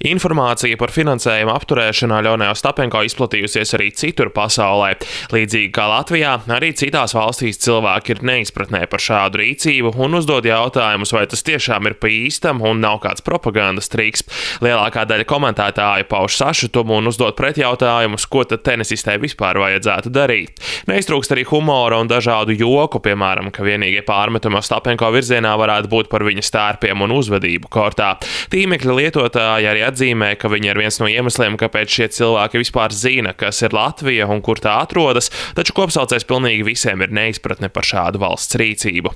Informācija par finansējuma apturēšanu Aļonai Ostapenko izplatījusies arī citur pasaulē. Līdzīgi kā Latvijā, arī citās valstīs cilvēki ir neizpratnē par šādu rīcību un uzdod jautājumus, vai tas tiešām ir pa īstam un nav kāds propagandas triks. Lielākā daļa komentētāju pauž sašutumu un uzdod pretjautājumus, ko tad tenisistē vispār vajadzētu darīt. Neiztrūkst arī humora un dažādu joku, piemēram, ka vienīgie pārmetumi Ostapenko virzienā varētu būt par viņas tērpiem un uzvedību kortā. Tīmekļa lietotāji arī atzīmē, ka viņa ir viens no iemesliem, kāpēc šie cilvēki vispār zina, kas ir Latvija un kur tā atrodas, taču kopsaucējs pilnīgi visiem ir neizpratne par šādu valsts rīcību.